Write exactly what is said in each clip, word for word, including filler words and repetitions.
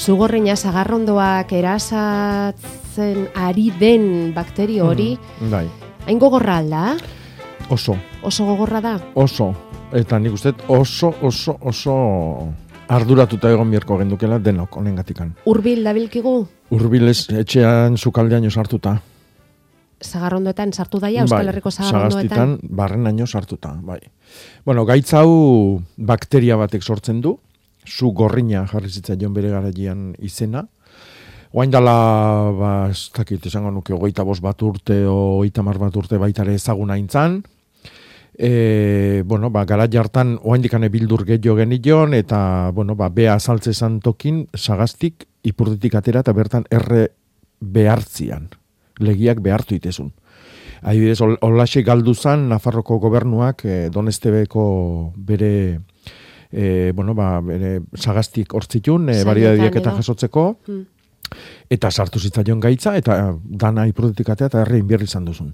Zugorrina sagarrondoak erasatzen ari den bakterio hori, mm, bai. hain gogorra alda? Oso. Oso gogorra da? Oso. Eta nik uste oso, oso, oso arduratuta egon bierko gendukela denok honengatikan. Hurbil dabilkigu? Hurbil ez etxean sukaldeaino sartuta. Sagarrondoetan sartu daia, Euskal Herriko sagarrondoetan? Sagastitan barrenaino sartuta, bai. Bueno, gaitz hau bakteria batek sortzen du, zu gorrina jarri zitzaion bere garaian izena. Oain dala, ba, ez dakit, esango nuke, hogeita bost bat urte, o hogeita hamar bat urte baitare ezaguna intzan. E, bueno, ba, gara jartan, oain dikane bildur gehiago genion, eta, bueno, ba, bea azaltze tokin, Sagastik, ipurditik atera, eta bertan erre behartzian. Legiak behartu itezun. Adibidez, holaxe galdu zan Nafarroko gobernuak e, Donestebeko bere, e, bueno, ba, bere Sagastik hortzitun, e, bariadiak eta jasotzeko, hmm. eta sartu zitzaion gaitza, eta dana ipurdetikatea eta herri inbierri izan duzun.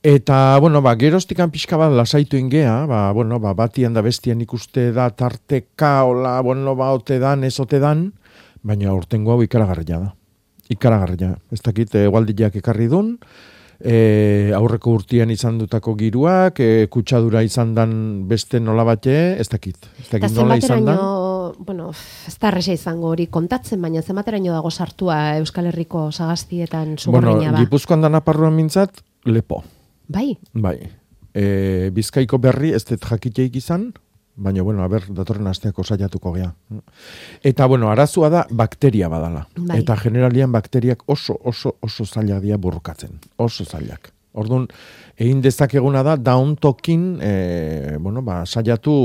Eta, bueno, ba, geroztikan pixka bat lasaitu ingea, ba, bueno, ba, batian da bestian ikuste da tarteka, hola, bueno, ba, ote dan, ez ote dan, baina urtengo hau ikaragarria da. Ikaragarria. Ez dakit, egualdiak ekarri dun, e, aurreko urtian izan dutako giruak, e, kutsadura izan dan beste nola bate, ez dakit. Ez dakit nola izan dan. Bueno, ez da arresa izango hori kontatzen, baina zemateraino dago sartua Euskal Herriko Sagastietan Zugorrina bueno, ba? Bueno, Gipuzkoan da Naparruan mintzat, lepo. Bai? Bai. E, Bizkaiko berri ez dut jakiteik izan, baina, bueno, a ber, datorren asteako saiatuko gea. Eta, bueno, arazua da bakteria badala. Bai. Eta generalian bakteriak oso, oso, oso zailak dira burrukatzen. Oso zailak. Orduan, egin dezakeguna da, dauntokin, e, bueno, ba, saiatu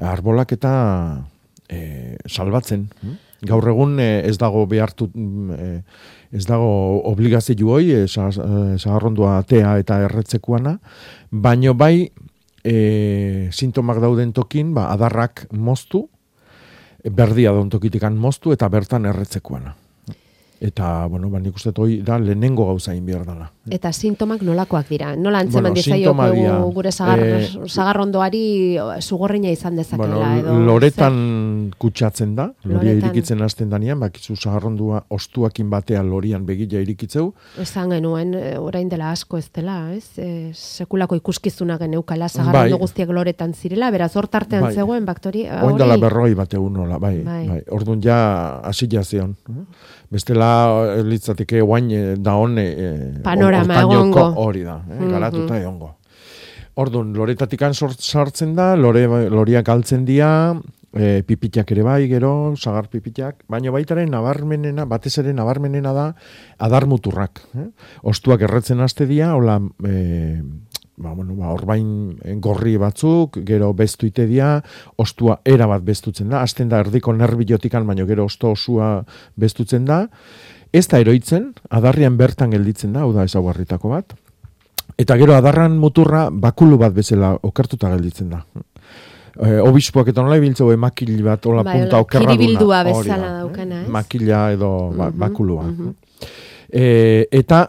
arbolak eta e, salbatzen. Gaur egun e, ez dago behartu, e, ez dago obligazio hoi, e, sagarrondua atea eta erretzekuana, baino bai, E, sintomak dauden tokin, ba, adarrak moztu, berdia daun tokitikan moztu, eta bertan erretzekuana. Eta, bueno, ba, nik uste toi da lehenengo gauza inbiar dela. Eta sintomak nolakoak dira? Nola antzeman bueno, dizaioko gure sagar, eh, sagarrondoari zugorrina izan dezakela? Bueno, edo, loretan zer? Kutsatzen da, loria loretan... irikitzen hasten danean, bakizu sagarrondua ostuakin batean lorian begila irikitzeu. Esan genuen, orain dela asko ez dela, ez? E, sekulako ikuskizuna geneukala sagarrondo bai. Guztiak loretan zirela, beraz hortartean bai. Zegoen baktori... Oin dela berroi bat egun nola, bai. bai. bai. Orduan ja asila zion. Bestela litzateke guain da hone panorama egongo hori da, eh, garatuta mm-hmm. egongo. Orduan, loretatik sartzen da, lore, loriak galtzen dira, e, pipitak ere bai, gero, sagar pipitak, baina baitaren nabarmenena, batez ere nabarmenena da, adar muturrak. Eh? Ostuak erretzen haste dira, hola, e, ba, bueno, ba, orbain gorri batzuk, gero bestu ite dira, ostua era bat bestutzen da, hasten da erdiko nerbilotikan, baina gero osto osua bestutzen da, ez da eroitzen, adarrian bertan gelditzen da, hau da ezaugarritako bat, eta gero adarran muturra bakulu bat bezala okertuta gelditzen da. E, obispoak eta nola ibiltzeu makil bat, hola bai, punta okerraduna. Kiribildua bezala daukana, ez? Makila edo ba, mm-hmm, bakulua. Mm-hmm. E, eta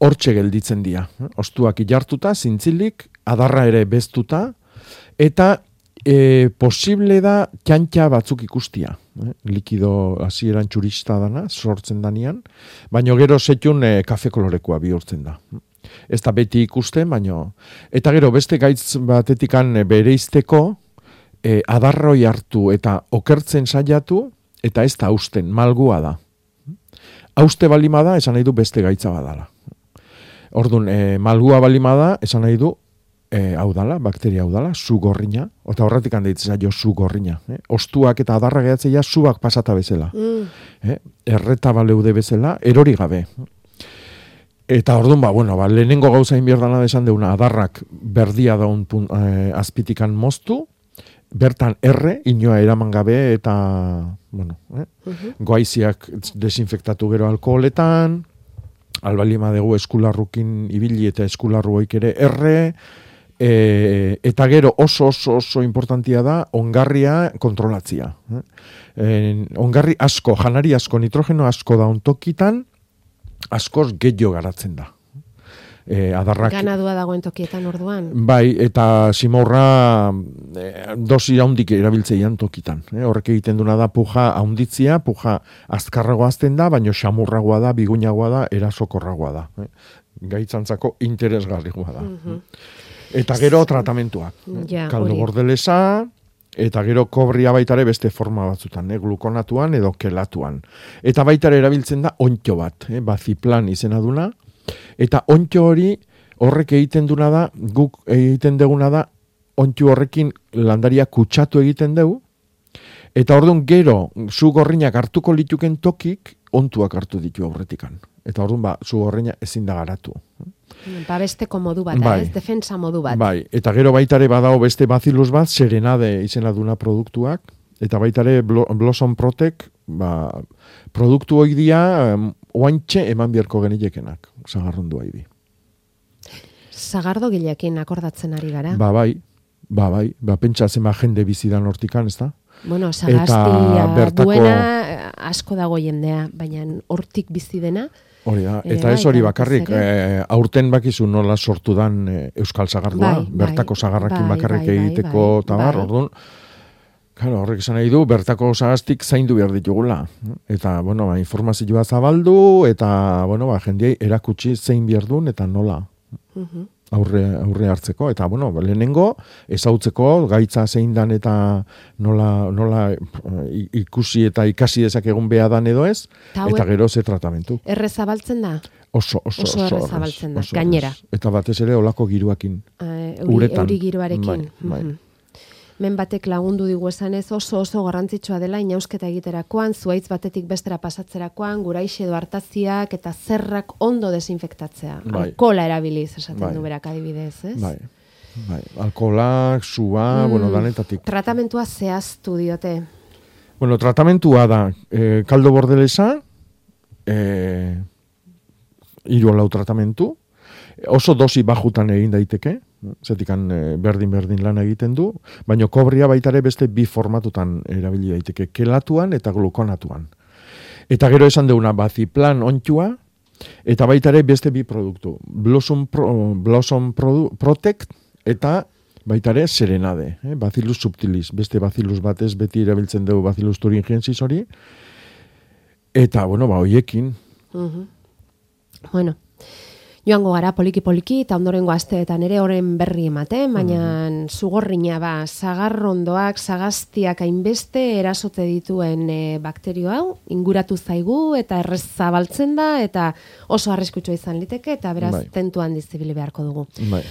hortxe gelditzen dira. Ostuak ilartuta, zintzilik, adarra ere bestuta, eta e, posible da txantxa batzuk ikustia. Eh? Likido hasieran txurista dana, sortzen danian, baino gero setxun e, kafe kolorekoa bihurtzen da. Ez da beti ikusten, baino... Eta gero beste gaitz batetikan bereizteko, e, adarroi hartu eta okertzen saiatu, eta ez da hausten, malgua da. Hauste balima da, esan nahi du beste gaitza badala. Orduan, e, malgua balima da, esan nahi du, e, hau dala, bakteria hau dala, zu gorrina, eta horretik handeitzen zaio zu gorrina. Eh? Ostuak eta adarra gehatzeia zuak pasata bezala. Mm. Eh? Erreta baleude bezala, erori gabe. Eta orduan, ba, bueno, ba, lehenengo gauza inbierdana desan deuna, adarrak berdia daun e, azpitikan moztu, bertan erre, inoa eraman gabe, eta, bueno, eh? uh-huh. goaiziak desinfektatu gero alkoholetan, albalima dugu eskularrukin ibili eta eskularruoik ere erre, e, eta gero oso oso oso importantia da ongarria kontrolatzia. E, ongarri asko, janari asko, nitrogeno asko da ontokitan, askoz gehiago garatzen da. E, adarrak... Ganadua dagoen tokietan orduan. Bai, eta simorra e, dosi haundik erabiltzeian tokitan. E, horrek egiten duna da puja haunditzia, puja azkarragoa azten da, baino xamurragoa da, biguinagoa da, erasokorragoa da. E, gaitzantzako interesgarrigoa da. Mm-hmm. Eta gero tratamentuak. Ja, kaldo bordelesa, eta gero kobria baitare beste forma batzutan, eh? Glukonatuan edo kelatuan. Eta baitare erabiltzen da ontxo bat, eh? Baziplan izena duna. Eta ontxo hori horrek egiten duna da, guk egiten deguna da, ontxo horrekin landaria kutsatu egiten dugu. Eta orduan gero, zu gorrinak hartuko lituken tokik, ontuak hartu ditu aurretikan. Eta orduan ba, zu gorrina ezin da garatu. Babesteko modu bat, bai, ez? Defensa modu bat. Bai, eta gero baitare badago beste bazilus bat, serenade izena duna produktuak, eta baitare Blossom Protect, ba, produktu hoi dia, um, oantxe eman biharko genilekenak, zagarrondu haidi. Zagardo gilekin akordatzen ari gara? Ba, bai, ba, bai, ba, pentsatzen ba, jende bizidan hortikan, ez da? Bueno, zagastia bertako... duena asko dago jendea, baina hortik bizi dena... Hori da, eta ez hori bakarrik, eh, aurten bakizu nola sortu dan eh, Euskal Zagardua, bai, bertako zagarrakin bai, bakarrik bai, egiteko bai, tabar, bai. Orduan, claro, horrek esan nahi du, bertako zagastik zaindu behar ditugula. Eta, bueno, ba, informazioa zabaldu, eta, bueno, ba, jendiei erakutsi zein behar duen, eta nola. Uh-huh. Aurre, aurre hartzeko, eta bueno, lehenengo ezautzeko gaitza zein dan eta nola, nola ikusi eta ikasi dezakegun beha dan edo ez, Tau eta gero ze tratamentu. Erre zabaltzen da? Oso, oso, oso, oso erre zabaltzen da, gainera. Eta batez ere olako giruakin. Uh, uretan. Euri giruarekin. Bai, bai. Mm-hmm. Men batek lagundu digu esanez oso oso garrantzitsua dela inausketa egiterakoan, zuaitz batetik bestera pasatzerakoan, guraixe edo hartaziak eta zerrak ondo desinfektatzea. Bai. Alkohola erabiliz, esaten bai. Du berak adibidez, ez? Bai, bai. Alkoholak, sua, mm. bueno, danetatik. Tratamentua zehaztu diote. Bueno, tratamentua da, eh, kaldo bordelesa, eh, hiru lau tratamentu, oso dosi bajutan egin daiteke, zetikan berdin-berdin lan egiten du, baina kobria baitare beste bi formatutan erabili daiteke, kelatuan eta glukonatuan. Eta gero esan deuna baziplan ontxua, eta baitare beste bi produktu, Blossom, Pro, Blossom Pro, Protect eta baitare serenade, eh? Bacillus subtilis, beste bacillus batez beti erabiltzen dugu Bacillus thuringiensis hori, eta, bueno, ba, hoiekin. Uh-huh. Bueno, joango gara poliki-poliki eta ondorengo asteetan ere horren berri ematen, baina mm. zugorrina ba, zagarrondoak, zagaztiak hainbeste erasote dituen e, bakterio hau, inguratu zaigu eta errez zabaltzen da eta oso arriskutsua izan liteke eta beraz bai. Tentuan dizibili beharko dugu. Bai.